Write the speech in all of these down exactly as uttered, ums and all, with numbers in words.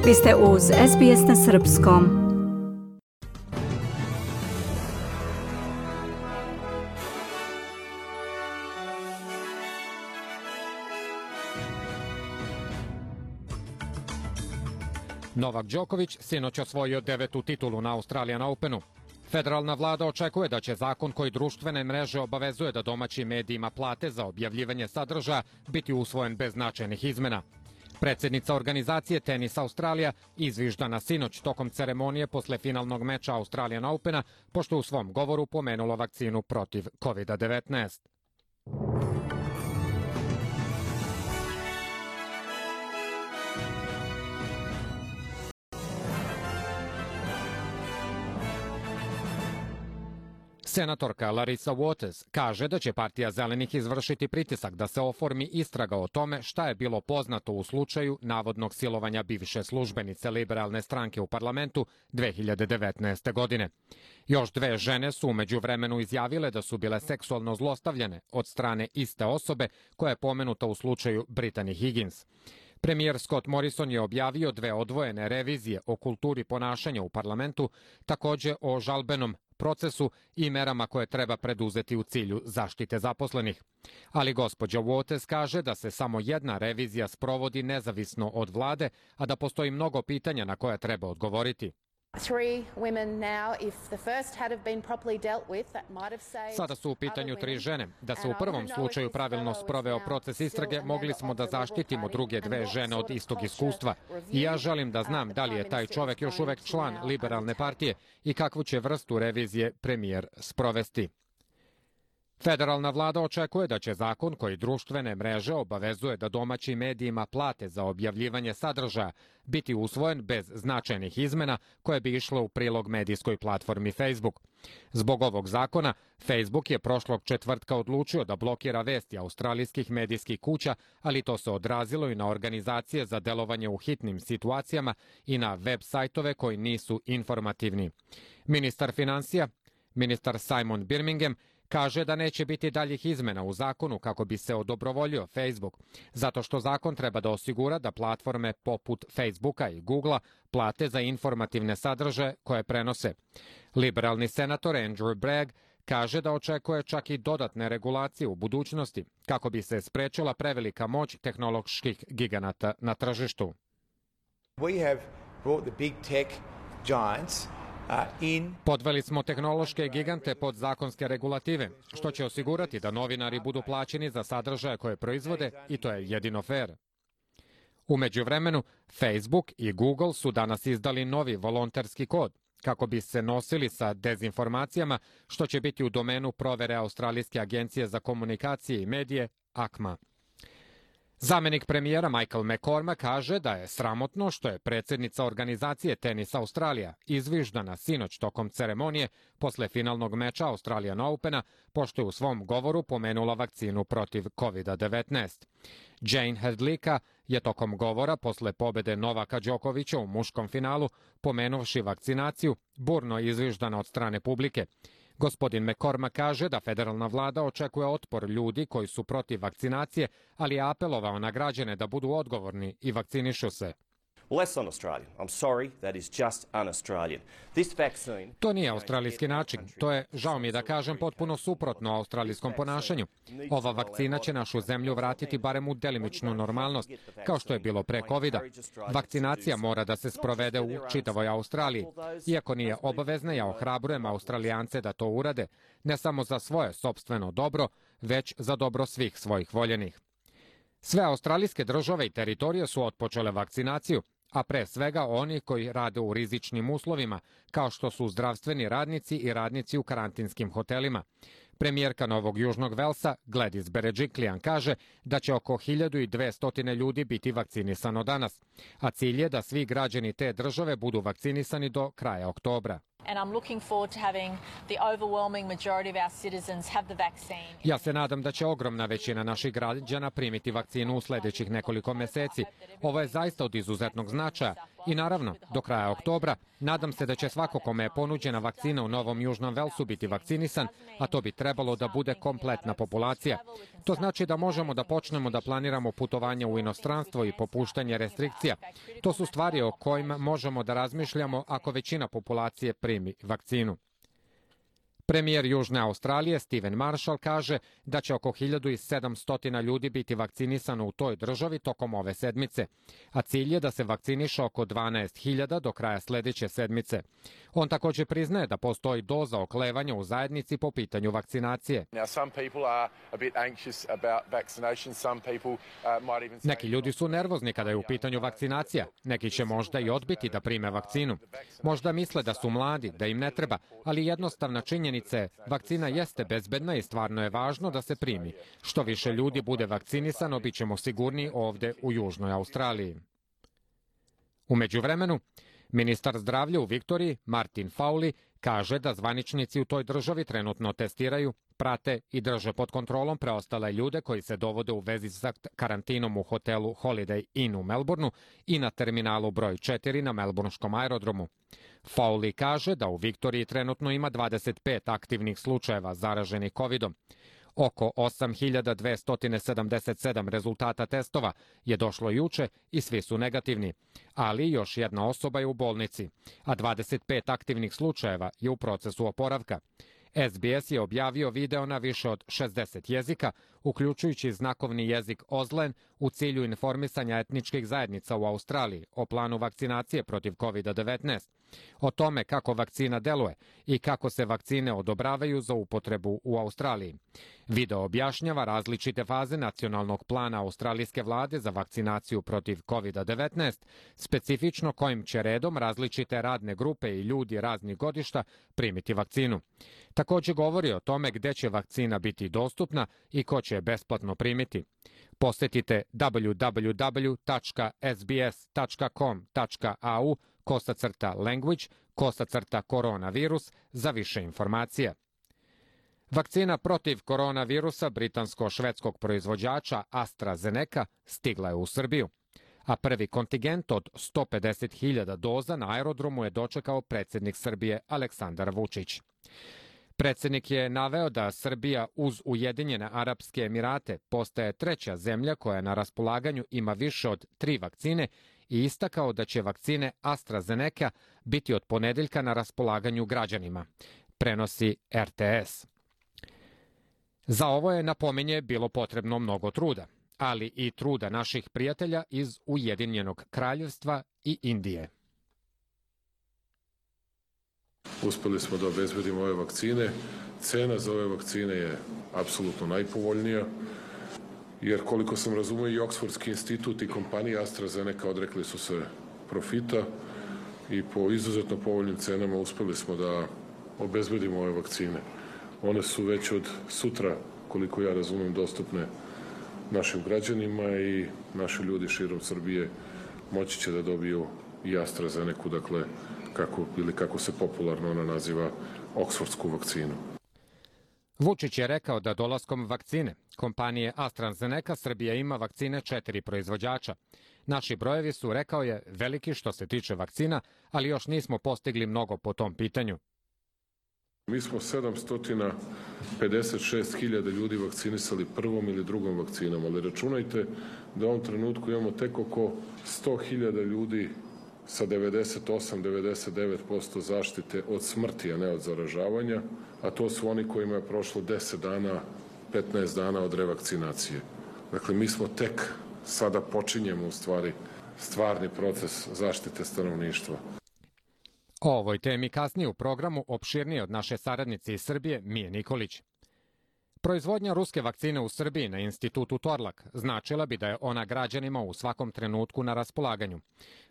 Vi ste uz S B S na srpskom. Novak Đoković sinoć osvojio devetu titulu na Australian Openu. Federalna vlada očekuje da će zakon koji društvene mreže obavezuje da domaćim medijima plate za objavljivanje sadržaja biti usvojen bez značajnih izmena. Predsjednica organizacije Tenis Australija izviždana sinoć tokom ceremonije posle finalnog meča Australian Opena, pošto u svom govoru pomenulo vakcinu protiv kovid devetnaest. Senatorka Larissa Waters kaže da će partija Zelenih izvršiti pritisak da se oformi istraga o tome šta je bilo poznato u slučaju navodnog silovanja bivše službenice liberalne stranke u parlamentu dve hiljade devetnaeste. godine. Još dve žene su u međuvremenu izjavile da su bile seksualno zlostavljane od strane iste osobe koja je pomenuta u slučaju Brittany Higgins. Premijer Scott Morrison je objavio dve odvojene revizije o kulturi ponašanja u parlamentu, takođe o žalbenom procesu i merama koje treba preduzeti u cilju zaštite zaposlenih. Ali gospođa Waters kaže da se samo jedna revizija sprovodi nezavisno od vlade, a da postoji mnogo pitanja na koja treba odgovoriti. Sada su u pitanju tri žene. Da se u prvom slučaju pravilno sproveo proces istrage, mogli smo da zaštitimo druge dve žene od istog iskustva. I ja želim da znam da li je taj čovek još uvek član liberalne partije i kakvu će vrstu revizije premijer sprovesti. Federalna vlada očekuje da će zakon koji društvene mreže obavezuje da domaćim medijima plate za objavljivanje sadržaja biti usvojen bez značajnih izmena koje bi išle u prilog medijskoj platformi Facebook. Zbog ovog zakona, Facebook je prošlog četvrtka odlučio da blokira vesti australijskih medijskih kuća, ali to se odrazilo i na organizacije za delovanje u hitnim situacijama i na web sajtove koji nisu informativni. Ministar finansija, ministar Simon Birmingham, kaže da neće biti daljih izmena u zakonu kako bi se odobrovoljio Facebook, zato što zakon treba da osigura da platforme poput Facebooka i Googlea plate za informativne sadržaje koje prenose. Liberalni senator Andrew Bragg kaže da očekuje čak i dodatne regulacije u budućnosti kako bi se sprečila prevelika moć tehnoloških giganata na tržištu. We have brought the big tech giants Podveli smo tehnološke gigante pod zakonske regulative, što će osigurati da novinari budu plaćeni za sadržaje koje proizvode i to je jedino fair. U međuvremenu, Facebook i Google su danas izdali novi volonterski kod kako bi se nosili sa dezinformacijama, što će biti u domenu provere Australijske agencije za komunikacije i medije A C M A. Zamenik premijera Michael McCormack kaže da je sramotno što je predsjednica organizacije Tenis Australija izviždana sinoć tokom ceremonije posle finalnog meča Australian Opena, pošto je u svom govoru pomenula vakcinu protiv kovid devetnaest. Jane Hedlika je tokom govora posle pobede Novaka Đokovića u muškom finalu, pomenuvši vakcinaciju, burno izviždana od strane publike. Gospodin McCormack kaže da federalna vlada očekuje otpor ljudi koji su protiv vakcinacije, ali je apelovao na građane da budu odgovorni i vakcinišu se. To nije australijski način. To je, žao mi da kažem, potpuno suprotno australijskom ponašanju. Ova vakcina će našu zemlju vratiti barem u delimičnu normalnost, kao što je bilo pre kovida. Vakcinacija mora da se sprovede u čitavoj Australiji. Iako nije obavezna, ja ohrabrujem Australijance da to urade, ne samo za svoje sopstveno dobro, već za dobro svih svojih voljenih. Sve australijske države i teritorije su otpočele vakcinaciju, a pre svega oni koji rade u rizičnim uslovima, kao što su zdravstveni radnici i radnici u karantinskim hotelima. Premijerka Novog Južnog Velsa, Gladys Berejiklian, kaže da će oko hiljadu dvesta ljudi biti vakcinisano danas, a cilj je da svi građani te države budu vakcinisani do kraja oktobra. Ja se nadam da će ogromna većina naših građana primiti vakcinu u sljedećih nekoliko meseci. Ovo je zaista od izuzetnog značaja I naravno, do kraja oktobra, nadam se da će svako kome je ponuđena vakcina u Novom Južnom Velsu biti vakcinisan, a to bi trebalo da bude kompletna populacija. To znači da možemo da počnemo da planiramo putovanje u inostranstvo i popuštanje restrikcija. To su stvari o kojima možemo da razmišljamo ako većina populacije primi vakcinu. Premijer Južne Australije Steven Marshall kaže da će oko hiljadu sedamsto ljudi biti vakcinisano u toj državi tokom ove sedmice, a cilj je da se vakciniše oko dvanaest hiljada do kraja sledeće sedmice. On također priznaje da postoji doza oklevanja u zajednici po pitanju vakcinacije. Neki ljudi su nervozni kada je u pitanju vakcinacija. Neki će možda i odbiti da prime vakcinu. Možda misle da su mladi, da im ne treba, ali jednostavna činjenica je, vakcina jeste bezbedna i stvarno je važno da se primi. Što više ljudi bude vakcinisano, bit ćemo sigurniji ovde u Južnoj Australiji. U međuvremenu, ministar zdravlja u Viktoriji, Martin Fowley, kaže da zvaničnici u toj državi trenutno testiraju, prate i drže pod kontrolom preostale ljude koji se dovode u vezi sa karantinom u hotelu Holiday Inn u Melbourneu i na terminalu broj četiri na melbournskom aerodromu. Fowley kaže da u Viktoriji trenutno ima dvadeset pet aktivnih slučajeva zaraženih kovidom. Oko osam hiljada dvesta sedamdeset sedam rezultata testova je došlo juče i svi su negativni, ali još jedna osoba je u bolnici, a dvadeset pet aktivnih slučajeva je u procesu oporavka. S B S je objavio video na više od šezdeset jezika, uključujući znakovni jezik Ozlen, u cilju informisanja etničkih zajednica u Australiji o planu vakcinacije protiv kovid devetnaest, o tome kako vakcina deluje i kako se vakcine odobravaju za upotrebu u Australiji. Video objašnjava različite faze nacionalnog plana australijske vlade za vakcinaciju protiv kovid devetnaest, specifično kojim će redom različite radne grupe i ljudi raznih godišta primiti vakcinu. Također govori o tome gde će vakcina biti dostupna i ko će je besplatno primiti. Posetite w w w tačka s b s tačka com tačka a u kosacrta language kosacrta koronavirus za više informacija. Vakcina protiv koronavirusa britansko-švedskog proizvođača AstraZeneca stigla je u Srbiju, a prvi kontingent od sto pedeset hiljada doza na aerodromu je dočekao predsjednik Srbije Aleksandar Vučić. Predsjednik je naveo da Srbija uz Ujedinjene Arapske Emirate postaje treća zemlja koja na raspolaganju ima više od tri vakcine i istakao da će vakcine AstraZeneca biti od ponedeljka na raspolaganju građanima, prenosi R T S. Za ovo je, napominje, bilo potrebno mnogo truda, ali i truda naših prijatelja iz Ujedinjenog Kraljevstva i Indije. Uspeli smo da obezbedimo ove vakcine. Cena za ove vakcine je apsolutno najpovoljnija, jer koliko sam razumio i Oksfordski institut i kompanija AstraZeneca odrekli su se profita i po izuzetno povoljnim cenama uspeli smo da obezbedimo ove vakcine. One su već od sutra, koliko ja razumem, dostupne našim građanima i naši ljudi širom Srbije moći će da dobiju i AstraZenecu, dakle, kako, ili kako se popularno ona naziva, oksfordsku vakcinu. Vučić je rekao da dolaskom vakcine kompanije AstraZeneca Srbija ima vakcine četiri proizvođača. Naši brojevi su, rekao je, veliki što se tiče vakcina, ali još nismo postigli mnogo po tom pitanju. Mi smo sedamsto pedeset šest hiljada ljudi vakcinisali prvom ili drugom vakcinom, ali računajte da u ovom trenutku imamo tek oko sto hiljada ljudi sa devedeset osam do devedeset devet posto zaštite od smrti, a ne od zaražavanja, a to su oni kojima je prošlo deset dana, petnaest dana od revakcinacije. Dakle, mi smo tek sada počinjemo u stvari stvarni proces zaštite stanovništva. O ovoj temi kasnije u programu opširnije od naše saradnice iz Srbije, Mije Nikolić. Proizvodnja ruske vakcine u Srbiji na institutu Torlak značila bi da je ona građanima u svakom trenutku na raspolaganju.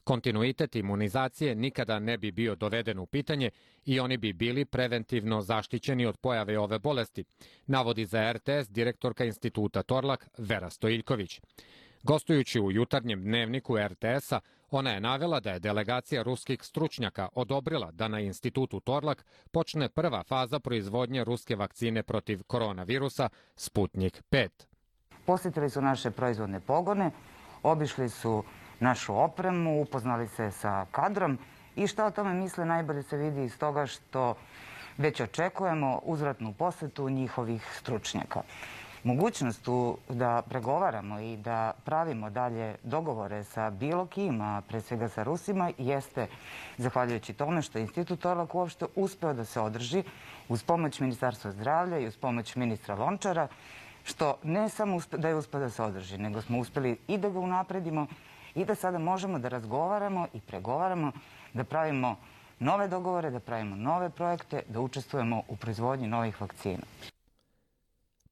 Kontinuitet imunizacije nikada ne bi bio doveden u pitanje i oni bi bili preventivno zaštićeni od pojave ove bolesti, navodi za R T S direktorka instituta Torlak Vera Stojiljković. Gostujući u jutarnjem dnevniku R T S-a, ona je navela da je delegacija ruskih stručnjaka odobrila da na institutu Torlak počne prva faza proizvodnje ruske vakcine protiv koronavirusa Sputnik pet. Posjetili su naše proizvodne pogone, obišli su našu opremu, upoznali se sa kadrom i šta o tome misle najbolje se vidi iz toga što već očekujemo uzvratnu posetu njihovih stručnjaka. Mogućnost da pregovaramo i da pravimo dalje dogovore sa bilo kim, a pre svega sa Rusima, jeste zahvaljujući tome što je Institut Torlak uopšte uspeo da se održi uz pomoć Ministarstva zdravlja i uz pomoć ministra Lončara, što ne samo da je uspeo da se održi, nego smo uspeli i da ga unapredimo i da sada možemo da razgovaramo i pregovaramo, da pravimo nove dogovore, da pravimo nove projekte, da učestvujemo u proizvodnji novih vakcina.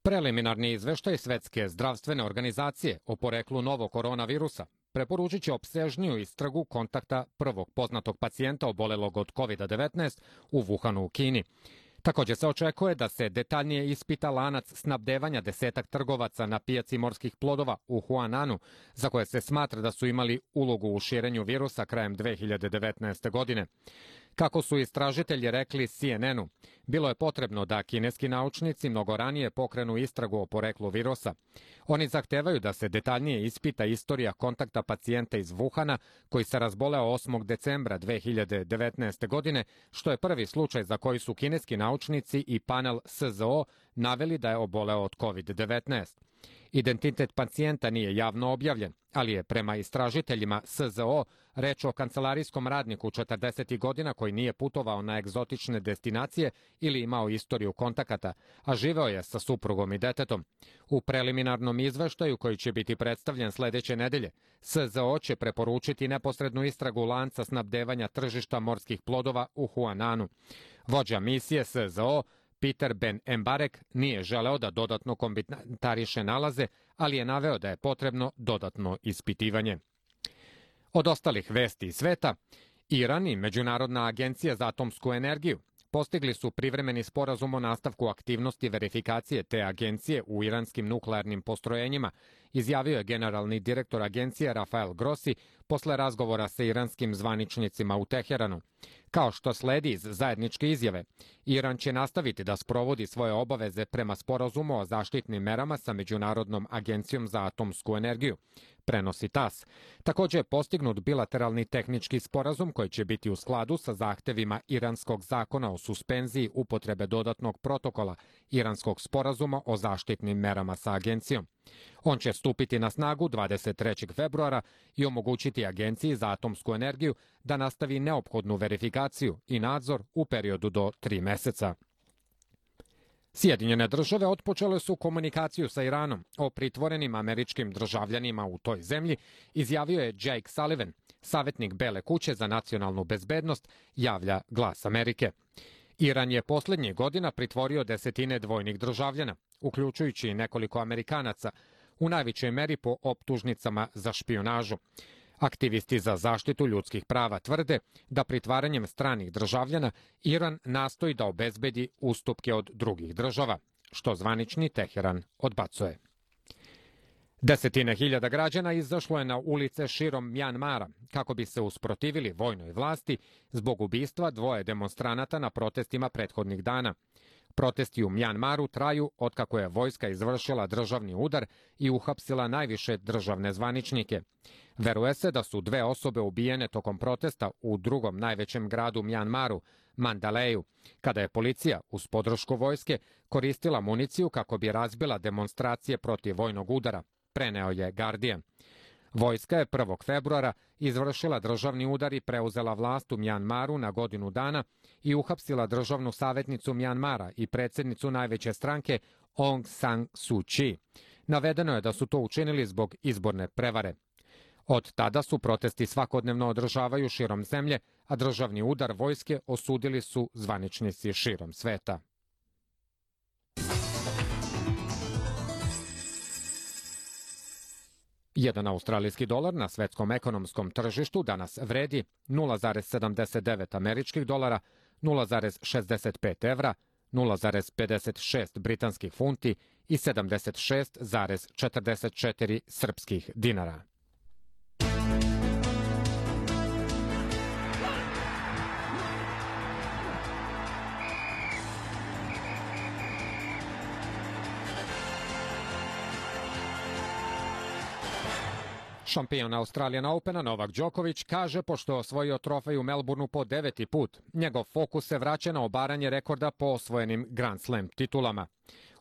Preliminarni izveštaj Svetske zdravstvene organizacije o poreklu novog koronavirusa preporučit će opsežniju istragu kontakta prvog poznatog pacijenta obolelog od kovid devetnaest u Wuhanu u Kini. Također se očekuje da se detaljnije ispita lanac snabdevanja desetak trgovaca na pijaci morskih plodova u Huananu, za koje se smatra da su imali ulogu u širenju virusa krajem dve hiljade devetnaeste. godine. Kako su istražitelji rekli C N N-u, bilo je potrebno da kineski naučnici mnogo ranije pokrenu istragu o poreklu virusa. Oni zahtevaju da se detaljnije ispita istorija kontakta pacijenta iz Wuhana koji se razboleo osmog decembra dve hiljade devetnaeste. godine, što je prvi slučaj za koji su kineski naučnici i panel S Z O naveli da je oboleo od kovid devetnaest. Identitet pacijenta nije javno objavljen, ali je prema istražiteljima S Z O reč o kancelarijskom radniku četrdesetih godina koji nije putovao na egzotične destinacije ili imao istoriju kontakata, a živeo je sa suprugom i detetom. U preliminarnom izveštaju koji će biti predstavljen sledeće nedelje, S Z O će preporučiti neposrednu istragu lanca snabdevanja tržišta morskih plodova u Huananu. Vođa misije S Z O Peter Ben Embarek nije želeo da dodatno komentariše nalaze, ali je naveo da je potrebno dodatno ispitivanje. Od ostalih vesti iz sveta, Iran i Međunarodna agencija za atomsku energiju postigli su privremeni sporazum o nastavku aktivnosti verifikacije te agencije u iranskim nuklearnim postrojenjima, izjavio je generalni direktor agencije Rafael Grossi posle razgovora sa iranskim zvaničnicima u Teheranu. Kao što sledi iz zajedničke izjave, Iran će nastaviti da sprovodi svoje obaveze prema sporazumu o zaštitnim merama sa Međunarodnom agencijom za atomsku energiju, prenosi T A S. Također je postignut bilateralni tehnički sporazum koji će biti u skladu sa zahtevima iranskog zakona o suspenziji upotrebe dodatnog protokola iranskog sporazuma o zaštitnim merama sa agencijom. On će stupiti na snagu dvadeset trećeg februara i omogućiti Agenciji za atomsku energiju da nastavi neophodnu verifikaciju i nadzor u periodu do tri meseca. Sjedinjene države otpočele su komunikaciju sa Iranom o pritvorenim američkim državljanima u toj zemlji, izjavio je Jake Sullivan, savjetnik Bele kuće za nacionalnu bezbednost, javlja Glas Amerike. Iran je posljednjih godina pritvorio desetine dvojnih državljana, uključujući nekoliko Amerikanaca, u najvećoj meri po optužnicama za špijunažu. Aktivisti za zaštitu ljudskih prava tvrde da pritvaranjem stranih državljana Iran nastoji da obezbedi ustupke od drugih država, što zvanični Teheran odbacuje. Desetine hiljada građana izašlo je na ulice širom Mjanmara kako bi se usprotivili vojnoj vlasti zbog ubistva dvoje demonstranata na protestima prethodnih dana. Protesti u Mjanmaru traju otkako je vojska izvršila državni udar i uhapsila najviše državne zvaničnike. Veruje se da su dve osobe ubijene tokom protesta u drugom najvećem gradu Mjanmaru, Mandaleju, kada je policija uz podršku vojske koristila municiju kako bi razbila demonstracije protiv vojnog udara, preneo je Guardian. Vojska je prvog februara izvršila državni udar i preuzela vlast u Mjanmaru na godinu dana i uhapsila državnu savjetnicu Mjanmara i predsjednicu najveće stranke Aung San Suu Kyi. Navedeno je da su to učinili zbog izborne prevare. Od tada su protesti svakodnevno održavaju širom zemlje, a državni udar vojske osudili su zvaničnici širom sveta. Jedan australijski dolar na svetskom ekonomskom tržištu danas vredi nula zarez sedamdeset devet američkih dolara, nula zarez šezdeset pet evra, nula zarez pedeset šest britanskih funti i sedamdeset šest zarez četrdeset četiri srpskih dinara. Šampion Australian Opena Novak Đoković kaže pošto je osvojio trofej u Melbourneu po deveti put, njegov fokus se vraća na obaranje rekorda po osvojenim Grand Slam titulama.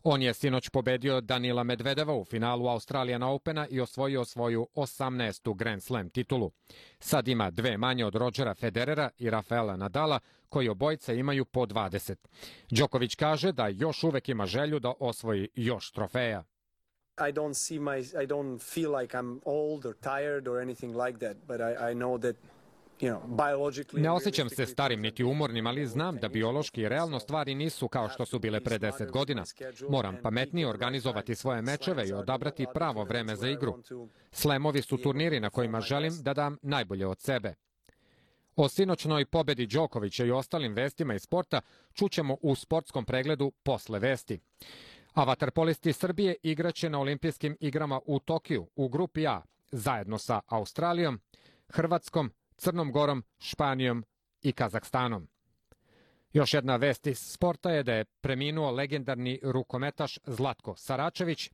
On je sinoć pobedio Danila Medvedeva u finalu Australian Opena i osvojio svoju osamnaestu Grand Slam titulu. Sad ima dve manje od Rodgera Federera i Rafaela Nadala, koji obojica imaju po dvadeset. Đoković kaže da još uvek ima želju da osvoji još trofeja. I don't see my I don't feel like I'm old or tired or anything like that, but I I know that you know biologically. Ne osjećam se starim niti umornim, ali znam da biološki i realno stvari nisu kao što su bile pre deset godina. Moram pametnije organizovati svoje mečeve i odabrati pravo vreme za igru. Slamovi su turniri na kojima želim da dam najbolje od sebe. O sinoćnoj pobedi Đokovića i ostalim vestima iz sporta čućemo u sportskom pregledu posle vesti. A vaterpolisti Srbije igraće na olimpijskim igrama u Tokiju u grupi A zajedno sa Australijom, Hrvatskom, Crnom Gorom, Španijom i Kazahstanom. Još jedna vest iz sporta je da je preminuo legendarni rukometaš Zlatko Saračević,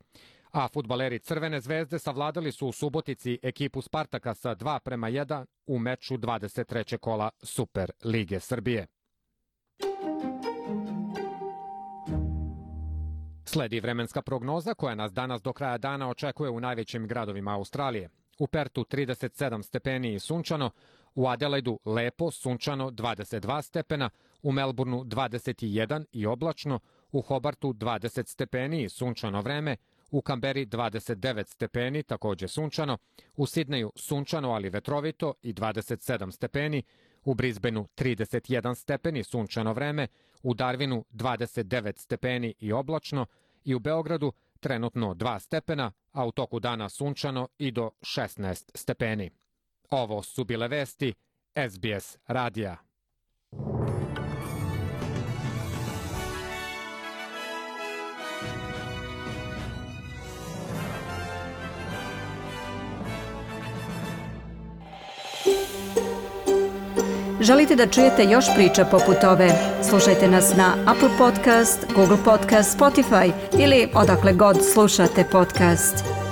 a fudbaleri Crvene zvezde savladali su u Subotici ekipu Spartaka sa dva prema jedan u meču dvadeset trećeg kola Super lige Srbije. Sledi vremenska prognoza koja nas danas do kraja dana očekuje u najvećim gradovima Australije. U Pertu trideset sedam stepeni i sunčano, u Adelaidu lepo, sunčano dvadeset dva stepena, u Melbourneu dvadeset jedan i oblačno, u Hobartu dvadeset stepeni i sunčano vreme, u Kamberi dvadeset devet stepeni, takođe sunčano, u Sidneju sunčano ali vetrovito i dvadeset sedam stepeni, u Brisbaneu trideset jedan stepeni sunčano vreme, u Darwinu dvadeset devet stepeni i oblačno i u Beogradu trenutno dva stepena, a u toku dana sunčano i do šesnaest stepeni. Ovo su bile vesti S B S radija. Želite da čujete još priča poput ove? Slušajte nas na Apple Podcast, Google Podcast, Spotify ili odakle god slušate podcast.